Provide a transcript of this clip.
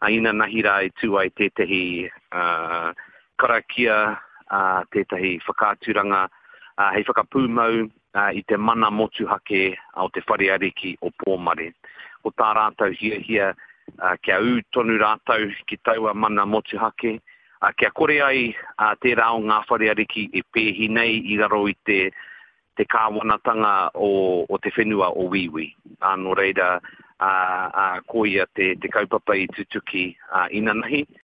Inanahi rā i tū ai tētahi karakia, tētahi whakaaturanga hei whakapūmau i te mana motuhake o te Whare Ariki o Pōmare. Ko tā rātou hiahia kia ū tonu rātou ki taua mana motuhake, kia kore ai tērā o ngā whare ariki e pēhi nei i raro i te te kāwanatanga o, o te whenua o Wīwī. Ā, nō reira, ā, ā, koia te, te kaupapa i tutuki, ā, inanahi.